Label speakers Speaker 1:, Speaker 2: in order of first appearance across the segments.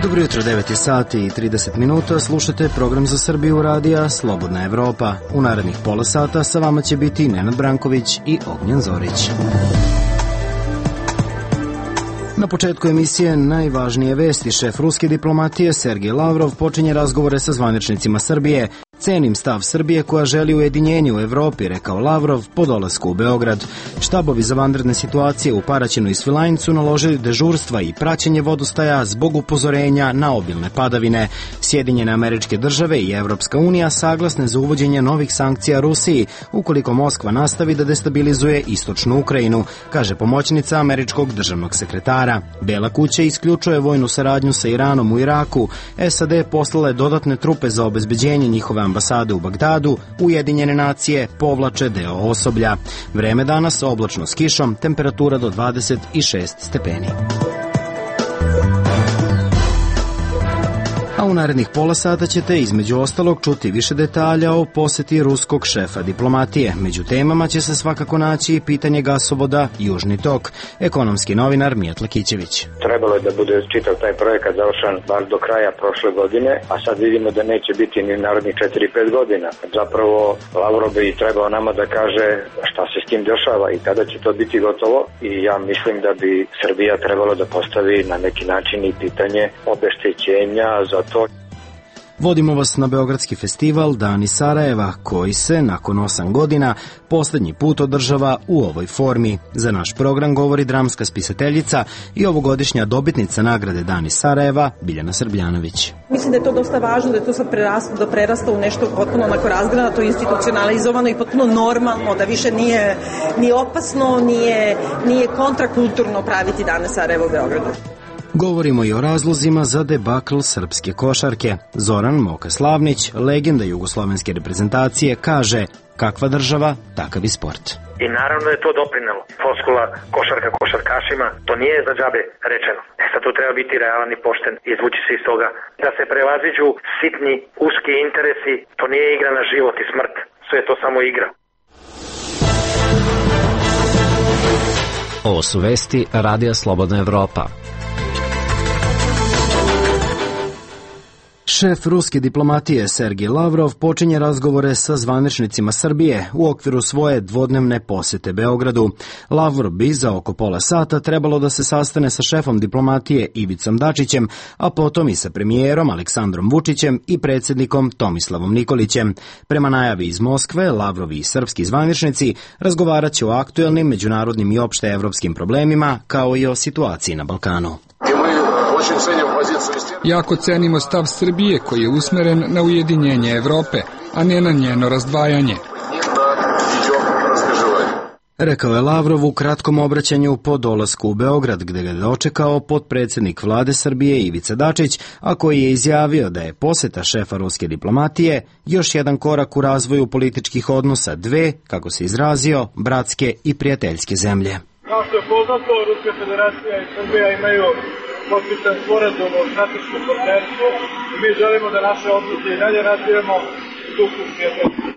Speaker 1: Dobro jutro, 9 sati i 30 minuta, slušate program za Srbiju radija Slobodna Evropa. U narednih pola sata sa vama će biti Nenad Branković i Ognjen Zorić. Na početku emisije najvažnije vesti. Šef ruske diplomatije Sergej Lavrov počinje razgovore sa zvaničnicima Srbije. Cenim stav Srbije koja želi ujedinjenje u Evropi, rekao Lavrov po dolasku u Beograd. Štabovi za vanredne situacije u Paraćinu i Svilajncu naložili dežurstva i praćenje vodostaja zbog upozorenja na obilne padavine. Sjedinjene Američke Države i Evropska unija saglasne za uvođenje novih sankcija Rusiji ukoliko Moskva nastavi da destabilizuje istočnu Ukrajinu, kaže pomoćnica američkog državnog sekretara. Bela kuća isključuje vojnu saradnju sa Iranom u Iraku. SAD poslala je dodatne trupe za obezbeđenje njihove ambasade u Bagdadu. Ujedinjene nacije povlače deo osoblja. Vreme danas oblačno s kišom, temperatura do 26 stepeni. A u narednih pola sata ćete između ostalog čuti više detalja o poseti ruskog šefa diplomatije. Među temama će se svakako naći i pitanje gasovoda Južni tok. Ekonomski novinar Mijat Lakićević.
Speaker 2: Trebalo je da bude čitav taj projekat završen bar do kraja prošle godine, a sad vidimo da neće biti ni narednih 4-5 godina. Zapravo Lavrov bi trebao nama da kaže šta se s tim dešava i kada će to biti gotovo, i ja mislim da bi Srbija trebalo da postavi na neki način i pitanje obeštećenja za to.
Speaker 1: Vodimo vas na Beogradski festival Dani Sarajeva, koji se, nakon 8 godina, poslednji put održava u ovoj formi. Za naš program govori dramska spisateljica i ovogodišnja dobitnica nagrade Dani Sarajeva, Biljana Srbljanović.
Speaker 3: Mislim da je to dosta važno, da je to sad prerasta u nešto potpuno onako razgranato, institucionalizovano i potpuno normalno, da više nije opasno, nije kontrakulturno praviti Dane Sarajeva u Beogradu.
Speaker 1: Govorimo i o razlozima za debakl srpske košarke. Zoran Moka Slavnić, legenda jugoslovenske reprezentacije, kaže: kakva država, takav i sport.
Speaker 4: I naravno je to doprinelo. Floskula košarka košarkašima, to nije za džabe rečeno. Sad tu treba biti realan i pošten i izvući se iz toga. Da se prevaziđu sitni, uski interesi, to nije igra na život i smrt. Sve je to samo igra.
Speaker 5: Ovo su vesti Radija Slobodna Evropa.
Speaker 1: Šef ruske diplomatije Sergej Lavrov počinje razgovore sa zvaničnicima Srbije u okviru svoje dvodnevne posete Beogradu. Lavrov bi za oko pola sata trebalo da se sastane sa šefom diplomatije Ivicom Dačićem, a potom i sa premijerom Aleksandrom Vučićem i predsjednikom Tomislavom Nikolićem. Prema najavi iz Moskve, Lavrovi i srpski zvaničnici razgovarat će o aktuelnim međunarodnim i opšte evropskim problemima, kao i o situaciji na Balkanu.
Speaker 6: Jako cenimo stav Srbije koji je usmeren na ujedinjenje Evrope, a ne na njeno razdvajanje.
Speaker 1: Rekao je Lavrov u kratkom obraćanju po dolasku u Beograd, gde ga je dočekao potpredsjednik vlade Srbije Ivica Dačić, a koji je izjavio da je poseta šefa ruske diplomatije još jedan korak u razvoju političkih odnosa dve, kako se izrazio, bratske i prijateljske zemlje.
Speaker 7: Kao što je poznato, Ruska federacija i Srbija imaju potpisan sporazum o strateškom partnerstvu i mi želimo da naše odnose i dalje razvijamo u duhu prijateljstva.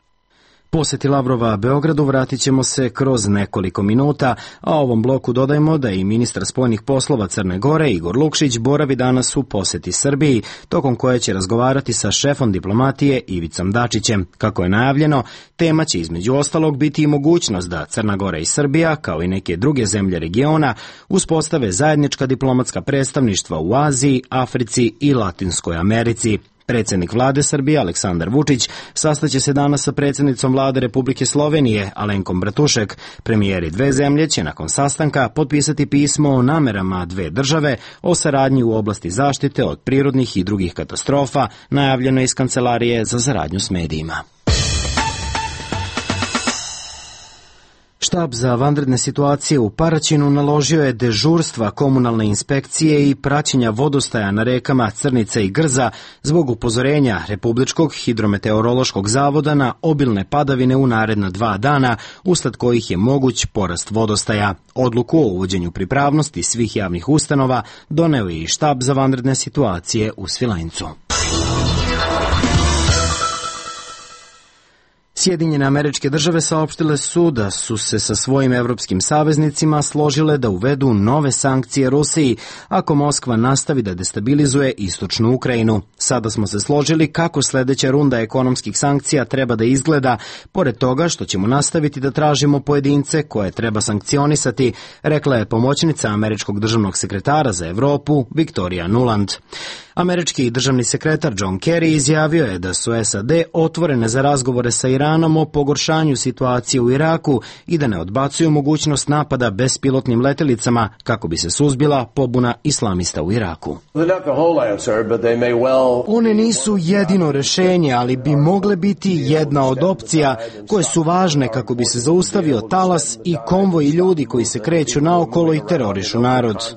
Speaker 1: Poseti Lavrova Beogradu vratit ćemo se kroz nekoliko minuta, a ovom bloku dodajemo da i ministar spoljnih poslova Crne Gore Igor Lukšić boravi danas u poseti Srbiji, tokom koje će razgovarati sa šefom diplomatije Ivicom Dačićem. Kako je najavljeno, tema će između ostalog biti i mogućnost da Crna Gora i Srbija, kao i neke druge zemlje regiona, uspostave zajednička diplomatska predstavništva u Aziji, Africi i Latinskoj Americi. Predsjednik vlade Srbije Aleksandar Vučić sastaće se danas sa predsjednicom vlade Republike Slovenije Alenkom Bratušek. Premijeri dve zemlje će nakon sastanka potpisati pismo o namerama dve države o saradnji u oblasti zaštite od prirodnih i drugih katastrofa, najavljeno iz Kancelarije za saradnju s medijima. Štab za vanredne situacije u Paraćinu naložio je dežurstva komunalne inspekcije i praćenja vodostaja na rekama Crnica i Grza zbog upozorenja Republičkog hidrometeorološkog zavoda na obilne padavine u naredna 2 dana, usled kojih je moguć porast vodostaja. Odluku o uvođenju pripravnosti svih javnih ustanova doneo je i štab za vanredne situacije u Svilajncu. Sjedinjene Američke Države saopštile su da su se sa svojim evropskim saveznicima složile da uvedu nove sankcije Rusiji ako Moskva nastavi da destabilizuje istočnu Ukrajinu. Sada smo se složili kako sledeća runda ekonomskih sankcija treba da izgleda, pored toga što ćemo nastaviti da tražimo pojedince koje treba sankcionisati, rekla je pomoćnica američkog državnog sekretara za Evropu Victoria Nuland. Američki državni sekretar John Kerry izjavio je da su SAD otvorene za razgovore sa Iranom o pogoršanju situacije u Iraku i da ne odbacuju mogućnost napada bespilotnim letelicama kako bi se suzbila pobuna islamista u Iraku. One nisu jedino rešenje, ali bi mogle biti jedna od opcija koje su važne kako bi se zaustavio talas i konvoj ljudi koji se kreću naokolo i terorišu narod.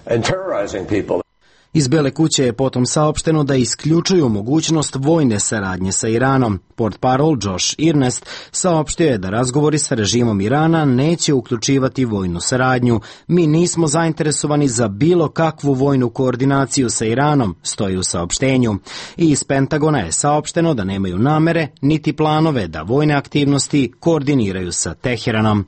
Speaker 1: Iz Bele kuće je potom saopšteno da isključuju mogućnost vojne saradnje sa Iranom. Portparol Josh Earnest saopštio je da razgovori sa režimom Irana neće uključivati vojnu saradnju. Mi nismo zainteresovani za bilo kakvu vojnu koordinaciju sa Iranom, stoji u saopštenju. I iz Pentagona je saopšteno da nemaju namere niti planove da vojne aktivnosti koordiniraju sa Teheranom.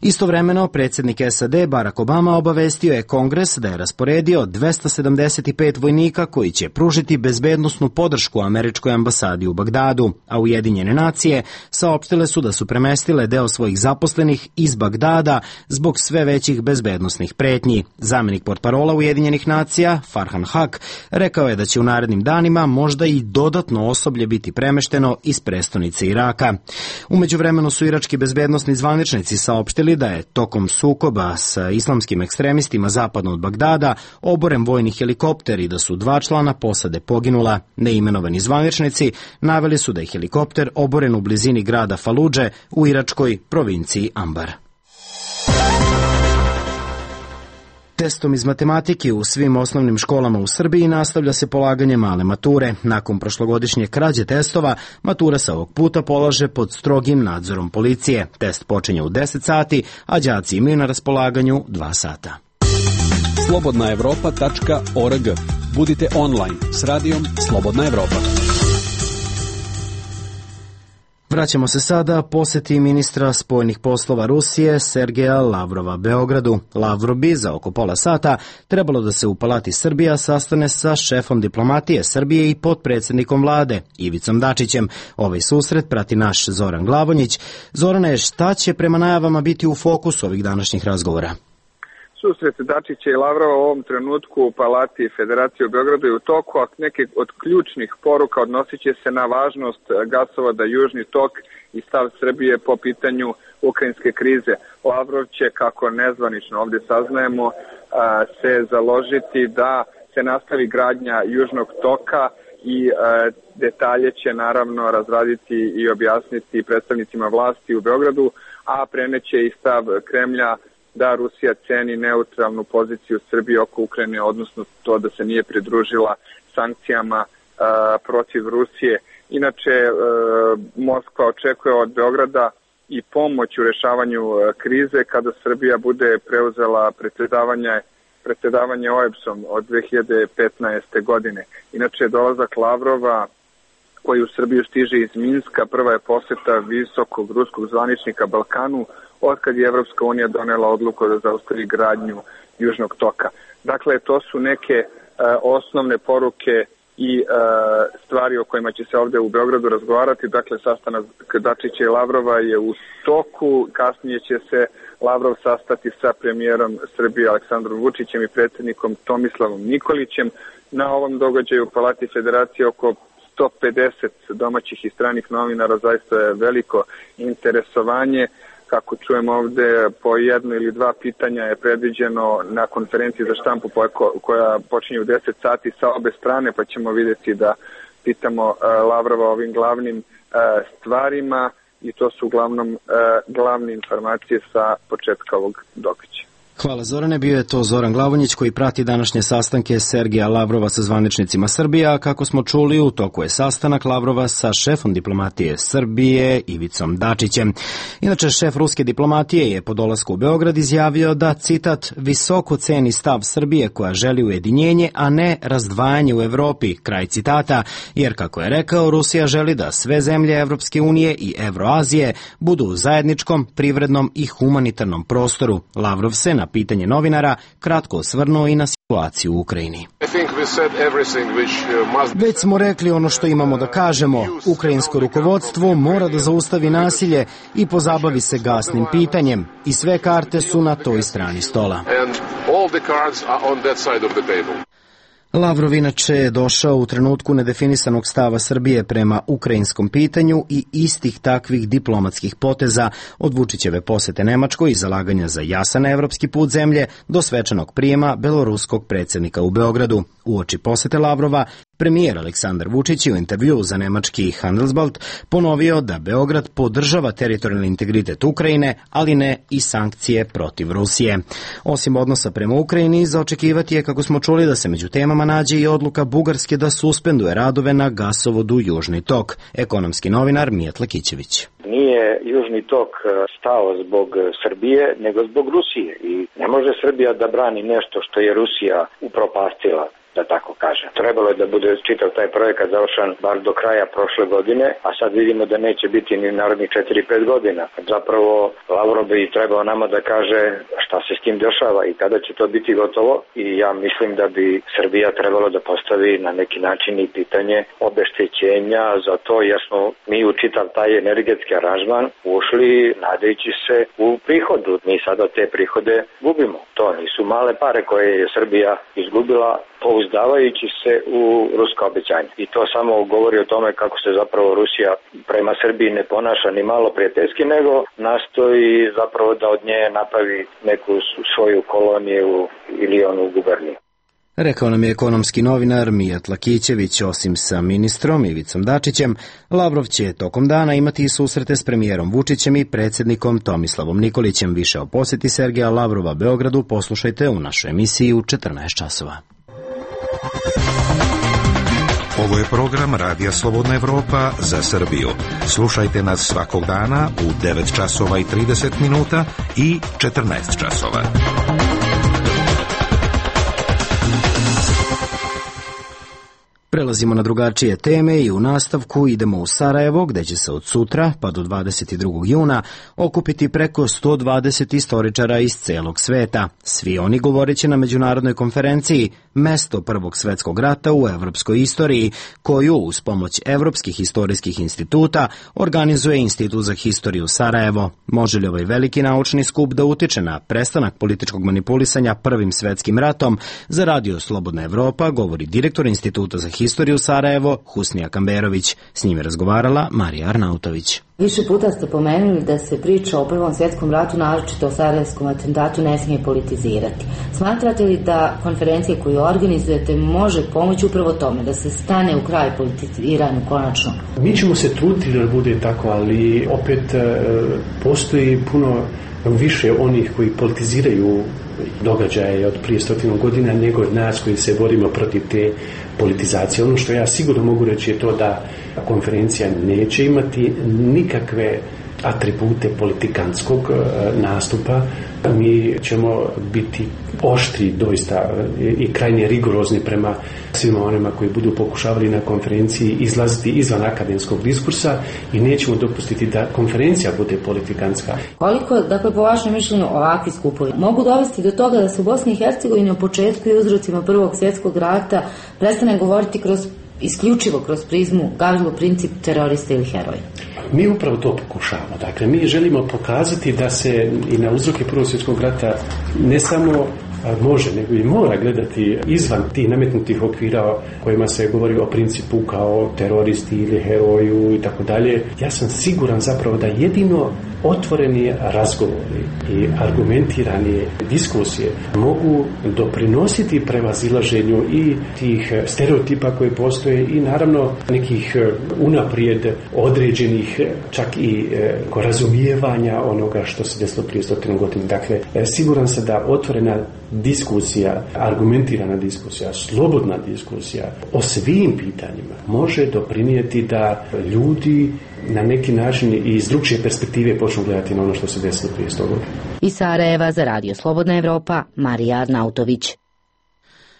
Speaker 1: Istovremeno, predsjednik SAD Barack Obama obavestio je Kongres da je rasporedio 275 vojnika koji će pružiti bezbednosnu podršku američkoj ambasadi u Bagdadu, a Ujedinjene nacije saopštile su da su premestile deo svojih zaposlenih iz Bagdada zbog sve većih bezbednosnih pretnji. Zamenik portparola Ujedinjenih nacija, Farhan Haq, rekao je da će u narednim danima možda i dodatno osoblje biti premešteno iz prestonice Iraka. U međuvremenu su irački bezbednosni zvaničnici saopštili da je tokom sukoba sa islamskim ekstremistima zapadno od Bagdada oboren vojni helikopter i da su 2 člana posade poginula. Neimenovani zvaničnici naveli su da je helikopter oboren u blizini grada Faludže u iračkoj provinciji Ambar. Testom iz matematike u svim osnovnim školama u Srbiji nastavlja se polaganje male mature. Nakon prošlogodišnje krađe testova, matura se ovog puta polaže pod strogim nadzorom policije. Test počinje u 10 sati, a đaci imaju na raspolaganju 2 sata.
Speaker 8: slobodnaevropa.org. Budite online s radijom Slobodna Evropa.
Speaker 1: Vraćamo se sada poseti ministra spoljnih poslova Rusije Sergeja Lavrova Beogradu. Lavrov bi za oko pola sata trebalo da se u Palati Srbija sastane sa šefom diplomatije Srbije i potpredsjednikom vlade Ivicom Dačićem. Ovaj susret prati naš Zoran Glavonjić. Zorane, šta će prema najavama biti u fokusu ovih današnjih razgovora?
Speaker 9: Susret Dačića i Lavrova u ovom trenutku u Palati Federacije u Beogradu je u toku, a neke od ključnih poruka odnosit će se na važnost gasovoda Južni tok i stav Srbije po pitanju ukrajinske krize. Lavrov će, kako nezvanično ovdje saznajemo, se založiti da se nastavi gradnja Južnog toka i detalje će naravno razraditi i objasniti predstavnicima vlasti u Beogradu, a preneće i stav Kremlja da Rusija ceni neutralnu poziciju Srbije oko Ukrajine, odnosno to da se nije pridružila sankcijama protiv Rusije. Inače, Moskva očekuje od Beograda i pomoć u rešavanju krize kada Srbija bude preuzela predsjedavanje OEBS-om od 2015. godine. Inače, dolazak Lavrova koji u Srbiju stiže iz Minska, prva je poseta visokog ruskog zvaničnika Balkanu otkad je Evropska unija donela odluku da zaustavi gradnju Južnog toka. Dakle, to su neke osnovne poruke i stvari o kojima će se ovdje u Beogradu razgovarati. Dakle, sastanak Dačića i Lavrova je u toku, kasnije će se Lavrov sastati sa premijerom Srbije Aleksandrom Vučićem i predsjednikom Tomislavom Nikolićem. Na ovom događaju u Palati Federacije oko 150 domaćih i stranih novinara, zaista je veliko interesovanje. Kako čujemo ovdje, po 1 ili 2 pitanja je predviđeno na konferenciji za štampu koja počinje u 10 sati sa obe strane, pa ćemo vidjeti da pitamo Lavrova ovim glavnim stvarima i to su uglavnom glavne informacije sa početka ovog događaja.
Speaker 1: Hvala Zorane, bio je to Zoran Glavonjić koji prati današnje sastanke Sergeja Lavrova sa zvaničnicima Srbije, a kako smo čuli u toku je sastanak Lavrova sa šefom diplomatije Srbije Ivicom Dačićem. Inače, šef ruske diplomatije je po dolasku u Beograd izjavio da, citat, visoko ceni stav Srbije koja želi ujedinjenje, a ne razdvajanje u Evropi, kraj citata, jer kako je rekao, Rusija želi da sve zemlje Evropske unije i Evroazije budu u zajedničkom, privrednom i humanitarnom prostoru. Lavrov se na pitanje novinara kratko osvrnuo i na situaciju u Ukrajini. Već smo rekli ono što imamo da kažemo. Ukrajinsko rukovodstvo mora da zaustavi nasilje i pozabavi se gasnim pitanjem. I sve karte su na toj strani stola. Lavrov inače je došao u trenutku nedefinisanog stava Srbije prema ukrajinskom pitanju i istih takvih diplomatskih poteza od Vučićeve posete Nemačkoj i zalaganja za jasan evropski put zemlje do svečanog prijema beloruskog predsjednika u Beogradu. Uoči posete Lavrova, premijer Aleksandar Vučić je u intervjuu za nemački Handelsblatt ponovio da Beograd podržava teritorijalni integritet Ukrajine, ali ne i sankcije protiv Rusije. Osim odnosa prema Ukrajini, za očekivati je, kako smo čuli, da se među temama nađe i odluka Bugarske da suspenduje radove na gasovodu Južni tok. Ekonomski novinar Mijat Lakićević.
Speaker 2: Nije Južni tok stao zbog Srbije, nego zbog Rusije. I ne može Srbija da brani nešto što je Rusija upropastila, da tako kažem. Trebalo je da bude čitav taj projekat završen bar do kraja prošle godine, a sad vidimo da neće biti ni narednih 4-5 godina. Zapravo Lavrov bi trebao nama da kaže šta se s tim dešava i kada će to biti gotovo, i ja mislim da bi Srbija trebalo da postavi na neki način i pitanje obeštećenja za to, jer smo mi u čitav taj energetski aranžman ušli nadajući se u prihodu. Mi sada te prihode gubimo. To nisu male pare koje je Srbija izgubila pouzdavajući se u ruska obećanja. I to samo govori o tome kako se zapravo Rusija prema Srbiji ne ponaša ni malo prijateljski, nego nastoji zapravo da od nje napravi neku svoju koloniju ili onu guberniju.
Speaker 1: Rekao nam je ekonomski novinar Mijat Lakićević. Osim sa ministrom Ivicom Dačićem, Lavrov će tokom dana imati i susrete s premijerom Vučićem i predsjednikom Tomislavom Nikolićem. Više o posjeti Sergeja Lavrova Beogradu poslušajte u našoj emisiji u 14 časova.
Speaker 10: Ovo je program Radija Slobodna Evropa za Srbiju. Slušajte nas svakog dana u 9 časova i 30 minuta i 14 časova.
Speaker 1: Prelazimo na drugačije teme i u nastavku idemo u Sarajevo, gde će se od sutra pa do 22. juna okupiti preko 120 istoričara iz celog sveta. Svi oni govoreći na međunarodnoj konferenciji Mesto Prvog svetskog rata u evropskoj istoriji, koju uz pomoć Evropskih historijskih instituta organizuje Institut za historiju Sarajevo. Može li ovaj veliki naučni skup da utiče na prestanak političkog manipulisanja Prvim svetskim ratom? Za Radio Slobodna Evropa govori direktor Instituta za historiju Sarajevo, Husnija Kamberović. S njim je razgovarala Marija Arnautović.
Speaker 11: Više puta ste pomenuli da se priča o Prvom svjetskom ratu, naročito o sarajevskom atentatu, ne smije politizirati. Smatrate li da konferencija koju organizujete može pomoći upravo tome, da se stane u kraj politiziranju konačno?
Speaker 12: Mi ćemo se truditi da bude tako, ali opet postoji puno više onih koji politiziraju događaje od prije 100 godina nego od nas koji se borimo protiv te politizacije. Ono što ja sigurno mogu reći je to da konferencija neće imati nikakve atribute politikantskog nastupa. Mi ćemo biti oštri doista i krajnje rigorozni prema svima onima koji budu pokušavali na konferenciji izlaziti izvan akademskog diskursa i nećemo dopustiti da konferencija bude politikantska.
Speaker 11: Koliko, dakle, po vašem mišljenju ovakvi skupovi mogu dovesti do toga da se u Bosni i Hercegovini u početku i uzrocima Prvog svjetskog rata prestane govoriti isključivo kroz prizmu Gavrilo Princip, terorista ili heroja?
Speaker 12: Mi upravo to pokušavamo. Dakle, mi želimo pokazati da se i na uzroke Prvog svjetskog rata ne samo može, nego i mora gledati izvan tih nametnutih okvira kojima se govori o principu kao teroristi ili heroju i tako dalje. Ja sam siguran zapravo da jedino otvoreni razgovori i argumentirani diskusije mogu doprinositi prevazilaženju i tih stereotipa koji postoje i naravno nekih unaprijed određenih čak i razumijevanja onoga što se desilo prije 100 godina. Dakle, siguran sam da otvorena diskusija, argumentirana diskusija, slobodna diskusija o svim pitanjima može doprinijeti da ljudi na neki način i iz drugčije perspektive počnu gledati na ono što se desilo prije 100 godina.
Speaker 11: Iz Sarajeva za Radio Slobodna Evropa, Marija Arnautović.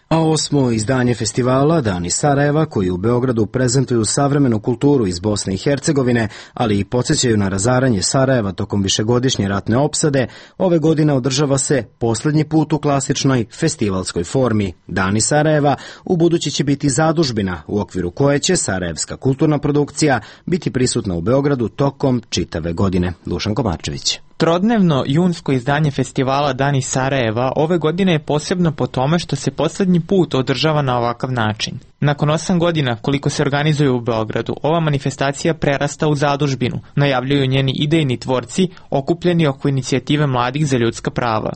Speaker 1: A 8. izdanje festivala Dani Sarajeva, koji u Beogradu prezentuju savremenu kulturu iz Bosne i Hercegovine, ali i podsjećaju na razaranje Sarajeva tokom višegodišnje ratne opsade, ove godine održava se poslednji put u klasičnoj festivalskoj formi. Dani Sarajeva ubuduće će biti zadužbina u okviru koje će sarajevska kulturna produkcija biti prisutna u Beogradu tokom čitave godine. Dušan Komarčević.
Speaker 13: Trodnevno junsko izdanje festivala Dani Sarajeva ove godine je posebno po tome što se poslednji put održava na ovakav način. Nakon 8 godina koliko se organizuje u Beogradu, ova manifestacija prerasta u zadužbinu, najavljuju njeni idejni tvorci okupljeni oko inicijative Mladih za ljudska prava.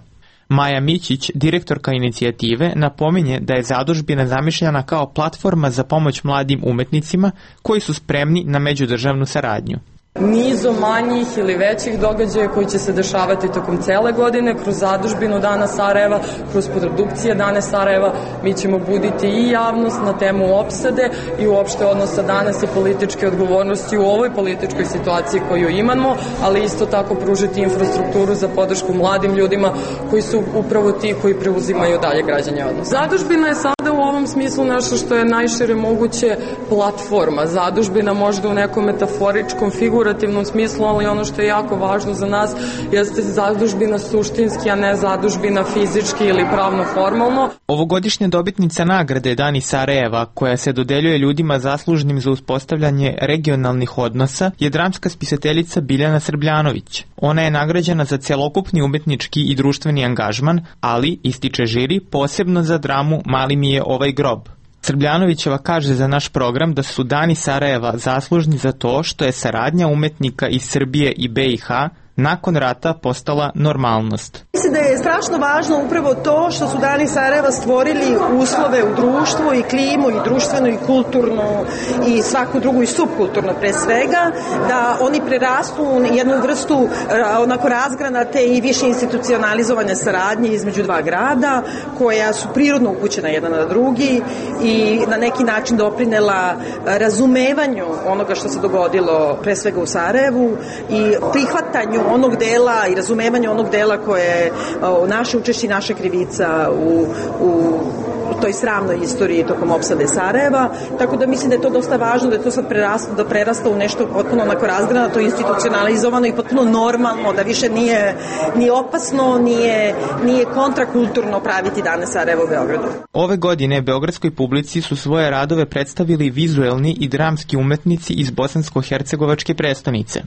Speaker 13: Maja Mićić, direktorka inicijative, napominje da je zadužbina zamišljena kao platforma za pomoć mladim umetnicima koji su spremni na međudržavnu saradnju.
Speaker 14: Nizom manjih ili većih događaja koji će se dešavati tokom cele godine, kroz zadužbinu Dana Sarajeva, kroz produkcije Dane Sarajeva, mi ćemo buditi i javnost na temu opsade i uopšte odnosa danas i političke odgovornosti u ovoj političkoj situaciji koju imamo, ali isto tako pružiti infrastrukturu za podršku mladim ljudima koji su upravo ti koji preuzimaju dalje građanje odnosa. Zadužbina je sada u ovom smislu nešto što je najšire moguće platforma. Zadužbina možda u nekom metaforičkom figurativnom smislu, ali ono što je jako važno za nas jeste zadužbina suštinski, a ne zadužbina fizički ili pravno formalno.
Speaker 13: Ovogodišnja dobitnica nagrade Dani Sarajeva, koja se dodeljuje ljudima zaslužnim za uspostavljanje regionalnih odnosa, je dramska spisateljica Biljana Srbljanović. Ona je nagrađena za celokupni umetnički i društveni angažman, ali, ističe žiri, posebno za dramu Mali mi je ovaj grob. Srbljanovićeva kaže za naš program da su Dani Sarajeva zaslužni za to što je saradnja umetnika iz Srbije i BiH nakon rata postala normalnost.
Speaker 3: Mislim da je strašno važno upravo to što su Dani Sarajeva stvorili uslove u društvu i klimu i društvenu i kulturnu i svaku drugu i subkulturno pre svega, da oni prerastu u jednu vrstu onako razgranate i više institucionalizovane saradnje između dva grada koja su prirodno upućena jedan na drugi i na neki način doprinela razumevanju onoga što se dogodilo pre svega u Sarajevu i prihvatanju onog dela i razumevanju onog dela koje je naše učešće i naša krivica u toj sramnoj istoriji tokom opsade Sarajeva, tako da mislim da je to dosta važno, da je to sad prerasta u nešto potpuno onako razgranato, institucionalizovano i potpuno normalno, da više nije opasno, nije kontrakulturno praviti Dane Sarajeva u Beogradu.
Speaker 13: Ove godine beogradskoj publici su svoje radove predstavili vizuelni i dramski umetnici iz bosansko-hercegovačke prestonice.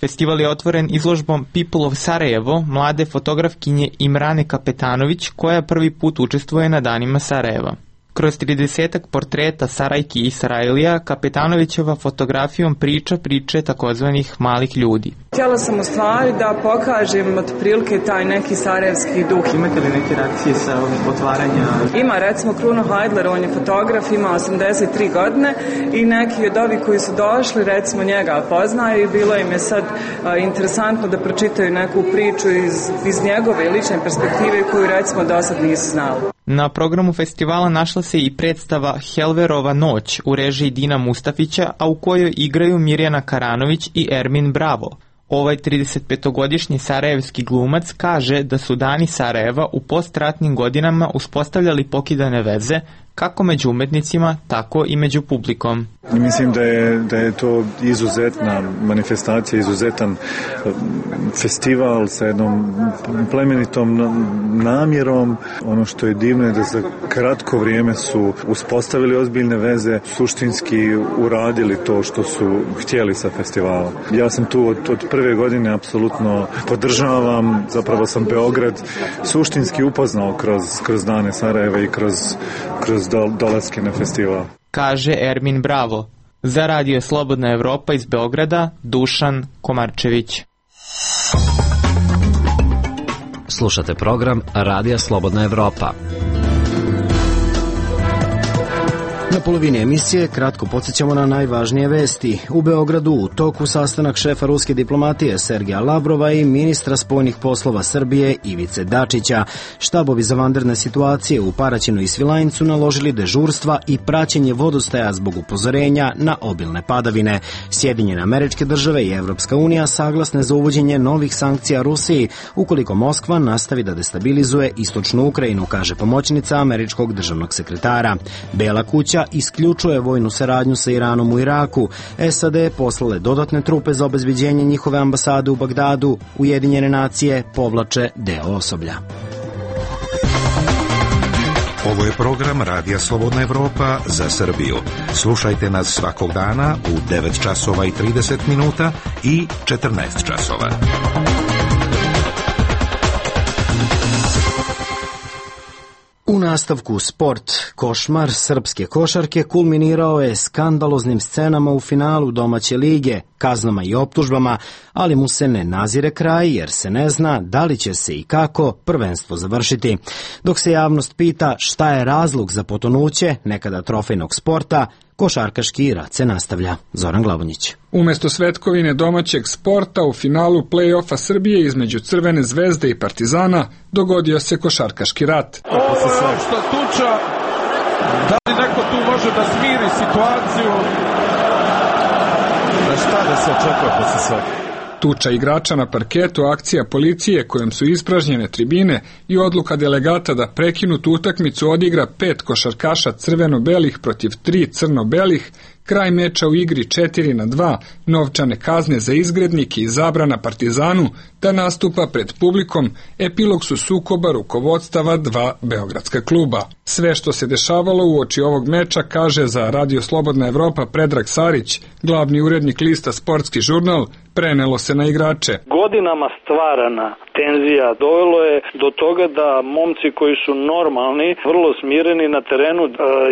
Speaker 13: Festival je otvoren izložbom People of Sarajevo, mlade fotografkinje Imrane Kapetanović, koja prvi put učestvuje na Danima Sarajeva. Kroz 30-ak portreta Sarajki i Sarajlija, Kapetanovićeva fotografijom priča priče takozvanih malih ljudi.
Speaker 14: Htjela sam u stvari da pokažem otprilike taj neki sarajevski duh.
Speaker 13: Imate li neke reakcije sa otvaranja?
Speaker 14: Ima recimo Kruno Hajdler, on je fotograf, ima 83 godine i neki od ovih koji su došli recimo njega poznaju i bilo im je sad interesantno da pročitaju neku priču iz njegove lične perspektive koju recimo do sad nisu znali.
Speaker 13: Na programu festivala našla se i predstava Helverova noć u režiji Dina Mustafića, a u kojoj igraju Mirjana Karanović i Ermin Bravo. Ovaj 35-godišnji sarajevski glumac kaže da su Dani Sarajeva u postratnim godinama uspostavljali pokidane veze kako među umetnicima, tako i među publikom.
Speaker 15: Mislim da je to izuzetna manifestacija, izuzetan festival sa jednom plemenitom namjerom. Ono što je divno je da za kratko vrijeme su uspostavili ozbiljne veze, suštinski uradili to što su htjeli sa festivalom. Ja sam tu od prve godine, apsolutno podržavam, zapravo sam Beograd suštinski upoznao kroz dane Sarajeva i kroz dolaske na festival.
Speaker 13: Kaže Ermin Bravo. Za Radio Slobodna Evropa iz Beograda, Dušan Komarčević.
Speaker 5: Slušate program Radija Slobodna Evropa.
Speaker 1: Na polovini emisije kratko podsjećamo na najvažnije vesti. U Beogradu u toku sastanak šefa ruske diplomatije Sergeja Lavrova i ministra spoljnih poslova Srbije Ivice Dačića. Štabovi za vanredne situacije u Paraćinu i Svilajncu naložili dežurstva i praćenje vodostaja zbog upozorenja na obilne padavine. Sjedinjene Američke Države i Evropska unija saglasne za uvođenje novih sankcija Rusiji ukoliko Moskva nastavi da destabilizuje istočnu Ukrajinu, kaže pomoćnica američkog državnog sekretara. Bela kuća isključuje vojnu saradnju sa Iranom u Iraku. SAD poslale dodatne trupe za obezbeđenje njihove ambasade u Bagdadu. Ujedinjene nacije povlače deo osoblja.
Speaker 10: Ovo je program Radija Slobodna Evropa za Srbiju. Slušajte nas svakog dana u 9 časova i 30 minuta i 14 časova.
Speaker 1: U nastavku sport, košmar srpske košarke kulminirao je skandaloznim scenama u finalu domaće lige, kaznama i optužbama, ali mu se ne nazire kraj jer se ne zna da li će se i kako prvenstvo završiti. Dok se javnost pita šta je razlog za potonuće nekada trofejnog sporta, košarkaški rat se nastavlja. Zoran Glavonjić.
Speaker 6: Umesto svetkovine domaćeg sporta u finalu play-offa Srbije između Crvene zvezde i Partizana dogodio se košarkaški rat.
Speaker 16: Ovo je opšta tuča. Da li neko tu može da smiri situaciju? Da šta da se očekuje posle svega?
Speaker 6: Tuča igrača na parketu, akcija policije kojom su ispražnjene tribine i odluka delegata da prekinutu utakmicu odigra 5 košarkaša crveno-belih protiv 3 crno-belih, kraj meča u igri 4-2, novčane kazne za izgrednike i zabrana Partizanu da nastupa pred publikom, epilog su sukoba rukovodstava 2 beogradska kluba. Sve što se dešavalo uoči ovog meča, kaže za Radio Slobodna Evropa Predrag Sarić, glavni urednik lista Sportski žurnal, prenelo se na igrače.
Speaker 17: Godinama stvarana tenzija dovelo je do toga da momci koji su normalni, vrlo smireni na terenu,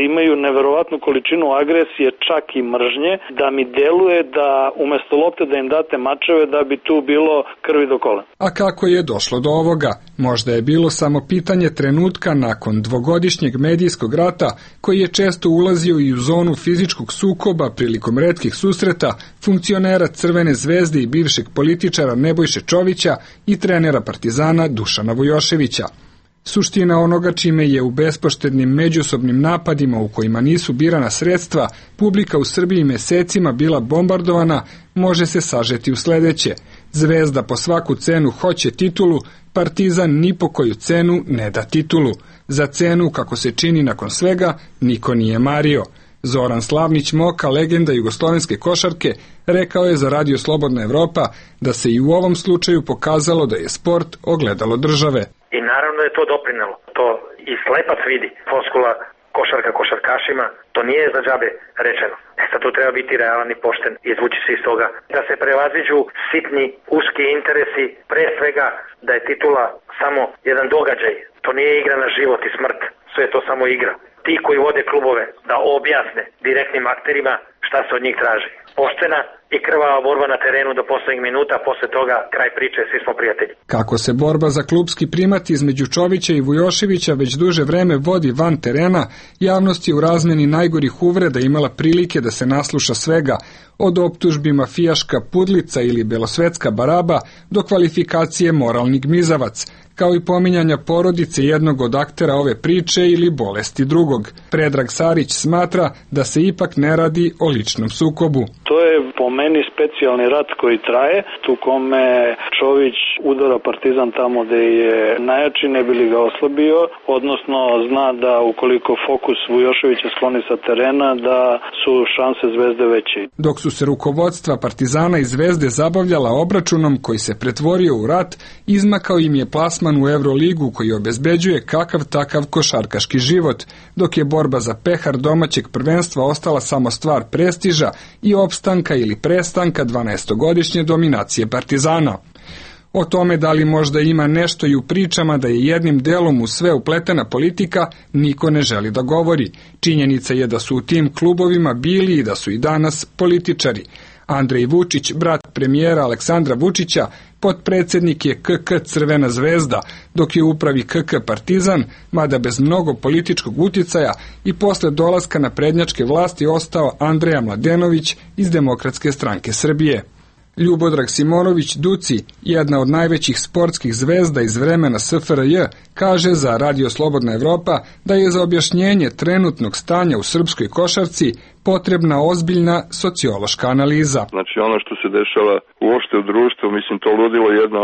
Speaker 17: imaju neverovatnu količinu agresije, čak i mržnje, da mi deluje da umesto lopte da im date mačeve da bi tu bilo krvi do kola.
Speaker 6: A kako je došlo do ovoga? Možda je bilo samo pitanje trenutka nakon dvogodišnjeg medijskog rata koji je često ulazio i u zonu fizičkog sukoba prilikom retkih susreta funkcionera Crvene zvezde i bivšeg političara Nebojše Čovića i trenera Partizana Dušana Vujoševića. Suština onoga čime je u bespoštednim međusobnim napadima u kojima nisu birana sredstva publika u Srbiji mesecima bila bombardovana može se sažeti u sledeće. Zvezda po svaku cenu hoće titulu, Partizan ni po koju cenu ne da titulu. Za cenu, kako se čini nakon svega, niko nije mario. Zoran Slavnić Moka, legenda jugoslovenske košarke, rekao je za Radio Slobodna Evropa da se i u ovom slučaju pokazalo da je sport ogledalo države.
Speaker 4: I naravno je to doprinelo. To i slepac vidi. Floskula košarka košarkašima, to nije za džabe rečeno. Sad tu treba biti realan i pošten i izvući se iz toga. Da se prevaziđu sitni, uski interesi, pre svega da je titula samo jedan događaj. To nije igra na život i smrt. Sve je to samo igra. Ti koji vode klubove da objasne direktnim akterima šta se od njih traži. Poštena i krvava borba na terenu do poslednjih minuta, posle toga kraj priče, svi smo prijatelji.
Speaker 6: Kako se borba za klubski primat između Čovića i Vujoševića već duže vreme vodi van terena, javnost je u razmeni najgorih uvreda imala prilike da se nasluša svega, od optužbi mafijaška pudlica ili belosvetska baraba do kvalifikacije moralni gmizavac, kao i pominjanja porodice jednog od aktera ove priče ili bolesti drugog. Predrag Sarić smatra da se ipak ne radi o ličnom sukobu.
Speaker 17: To je po meni specijalni rat koji traje, tu kome Čović udara Partizan tamo gde je najjači, ne bi li ga oslabio, odnosno zna da ukoliko fokus Vujoševića skloni sa terena, da su šanse Zvezde veće.
Speaker 6: Dok su se rukovodstva Partizana i Zvezde zabavljala obračunom koji se pretvorio u rat, izmakao im je plasman u Euroligu koji obezbeđuje kakav takav košarkaški život, dok je borba za pehar domaćeg prvenstva ostala samo stvar prestiža i opstanka ili prestanka 12-godišnje dominacije Partizana. O tome da li možda ima nešto i u pričama da je jednim delom u sve upletena politika, niko ne želi da govori. Činjenica je da su u tim klubovima bili i da su i danas političari. Andrej Vučić, brat premijera Aleksandra Vučića, potpredsednik je KK Crvena zvezda, dok je u upravi KK Partizan, mada bez mnogo političkog uticaja, i posle dolaska na prednjačke vlasti ostao Andreja Mladenović iz Demokratske stranke Srbije. Ljubodrag Simonović Duci, jedna od najvećih sportskih zvezda iz vremena SFRJ, kaže za Radio Slobodna Evropa da je za objašnjenje trenutnog stanja u srpskoj košarci potrebna ozbiljna sociološka analiza.
Speaker 18: Znači ono što se dešava uopšte u društvu, mislim to ludilo jedno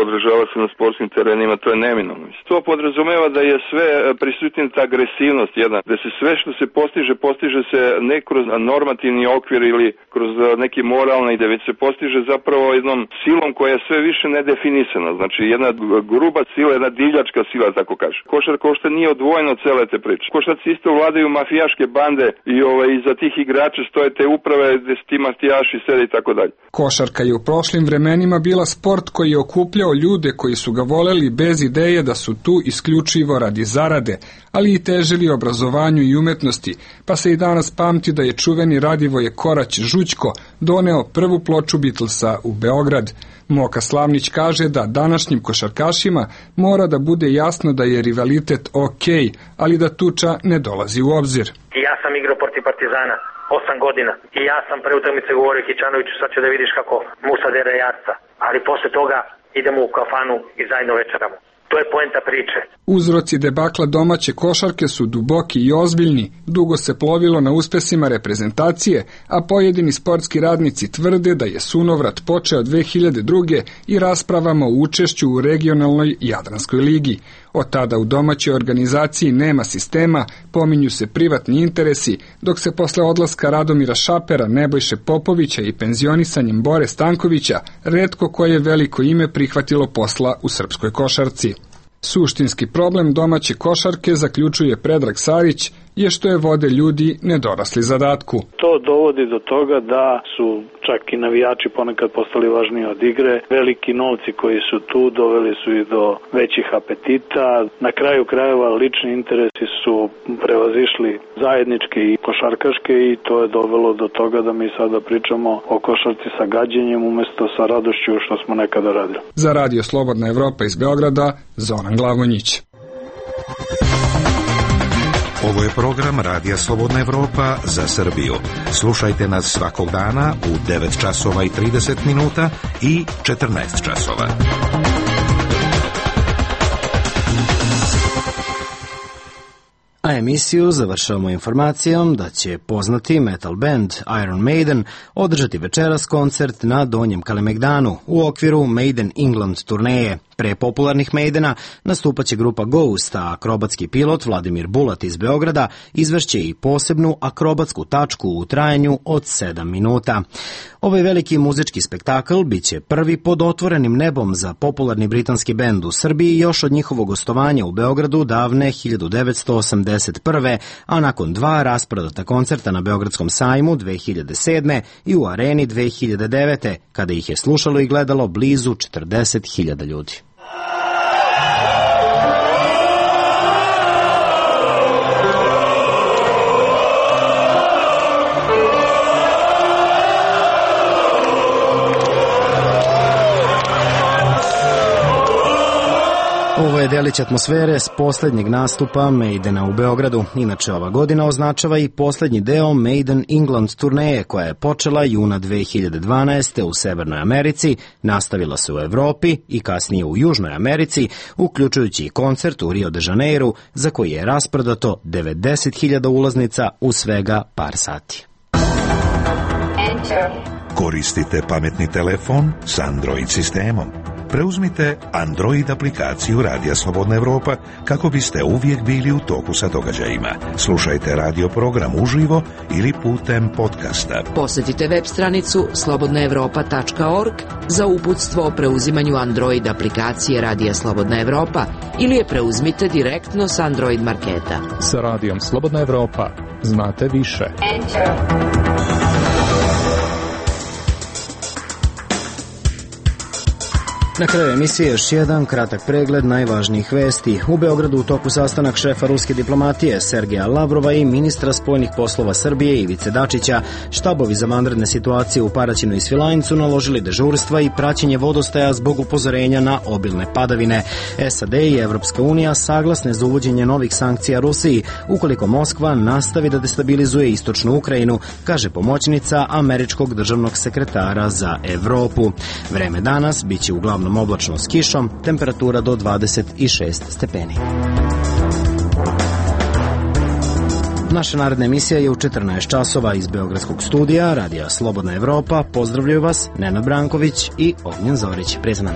Speaker 18: odražava se na sportskim terenima, to je neminovno. To podrazumeva da je sve prisutna ta agresivnost jedna, da se sve što se postiže se ne kroz normativni okvir ili kroz neki moralni, da već se postiže zapravo jednom silom koja je sve više nedefinisana. Znači jedna gruba sila, jedna divljačka sila, tako kaže. Košarka uopšte nije odvojena od cele te priče. Košarci isto vladaju mafijaške bande i iza tih igrača stoje te uprave gde ti mafijaši sede i tako dalje.
Speaker 6: Košarka je u prošlim vremenima bila sport koji je okupljao ljude koji su ga voleli bez ideje da su tu isključivo radi zarade, ali i težili obrazovanju i umetnosti, pa se i danas pamti da je čuveni Radivoje Korać Žućko doneo prvu ploču Beatlesa u Beograd. Moka Slavnić kaže da današnjim košarkašima mora da bude jasno da je rivalitet okej, ali da tuča ne dolazi u obzir.
Speaker 4: Ja sam igrao protiv Partizana 8 godina i ja sam pre utakmice govorio Kićanoviću, sad će da vidiš kako Musa dere jarca, ali posle toga idemo u kafanu i zajedno večeramo. To je poenta priče.
Speaker 6: Uzroci debakla domaće košarke su duboki i ozbiljni, dugo se plovilo na uspesima reprezentacije, a pojedini sportski radnici tvrde da je sunovrat počeo 2002. i raspravama o učešću u regionalnoj Jadranskoj ligi. Od tada u domaćoj organizaciji nema sistema, pominju se privatni interesi, dok se posle odlaska Radomira Šapera, Nebojše Popovića i penzionisanjem Bore Stankovića, retko koje veliko ime prihvatilo posla u srpskoj košarci. Suštinski problem domaće košarke, zaključuje Predrag Sarić, je što je vode ljudi nedorasli zadatku.
Speaker 17: To dovodi do toga da su čak i navijači ponekad postali važniji od igre. Veliki novci koji su tu doveli su i do većih apetita. Na kraju krajeva lični interesi su prevazišli zajedničke i košarkaške i to je dovelo do toga da mi sada pričamo o košarci sa gađenjem umesto sa radošću što smo nekada radili.
Speaker 6: Za Radio Slobodna Evropa iz Beograda, Zoran Glavonjić.
Speaker 10: Ovo je program Radija Slobodna Evropa za Srbiju. Slušajte nas svakog dana u 9 časova i 30 minuta i 14 časova.
Speaker 1: A emisiju završavamo informacijom da će poznati metal band Iron Maiden održati večeras koncert na Donjem Kalemegdanu u okviru Maiden England turneje. Pre popularnih Maidena nastupaće grupa Ghost, a akrobatski pilot Vladimir Bulat iz Beograda izvešće i posebnu akrobatsku tačku u trajanju od 7 minuta. Ovaj veliki muzički spektakl biće prvi pod otvorenim nebom za popularni britanski bend u Srbiji još od njihovog gostovanja u Beogradu davne 1981. a nakon 2 rasprodata koncerta na Beogradskom sajmu 2007. i u Areni 2009. kada ih je slušalo i gledalo blizu 40.000 ljudi. Ovo je delić atmosfere s poslednjeg nastupa Maidena u Beogradu. Inače, ova godina označava i poslednji deo Maiden England turneje, koja je počela juna 2012. u Severnoj Americi, nastavila se u Evropi i kasnije u Južnoj Americi, uključujući i koncert u Rio de Janeiru, za koji je rasprodato 90.000 ulaznica u svega par sati.
Speaker 10: Koristite pametni telefon s Android sistemom? Preuzmite Android aplikaciju Radija Slobodna Evropa kako biste uvijek bili u toku sa događajima. Slušajte radio program uživo ili putem podcasta.
Speaker 19: Posjetite web stranicu slobodnaevropa.org za uputstvo o preuzimanju Android aplikacije Radija Slobodna Evropa ili je preuzmite direktno s Android marketa.
Speaker 20: Sa Radijom Slobodna Evropa znate više.
Speaker 1: Na kraju emisije još jedan kratak pregled najvažnijih vesti. U Beogradu u toku sastanak šefa ruske diplomatije Sergeja Lavrova i ministra spoljnih poslova Srbije Ivice Dačića. Štabovi za vanredne situacije u Paraćinu i Svilajncu naložili dežurstva i praćenje vodostaja zbog upozorenja na obilne padavine. SAD i Evropska unija saglasne za uvođenje novih sankcija Rusiji ukoliko Moskva nastavi da destabilizuje istočnu Ukrajinu, kaže pomoćnica američkog državnog sekretara za Evropu. Vreme danas biće uglavnom oblačno s kišom, temperatura do 26 stepeni. Naša naredna emisija je u 14 časova iz Beogradskog studija Radija Slobodna Evropa. Pozdravljaju vas Nenad Branković i Ognjen Zorić. Prijatno.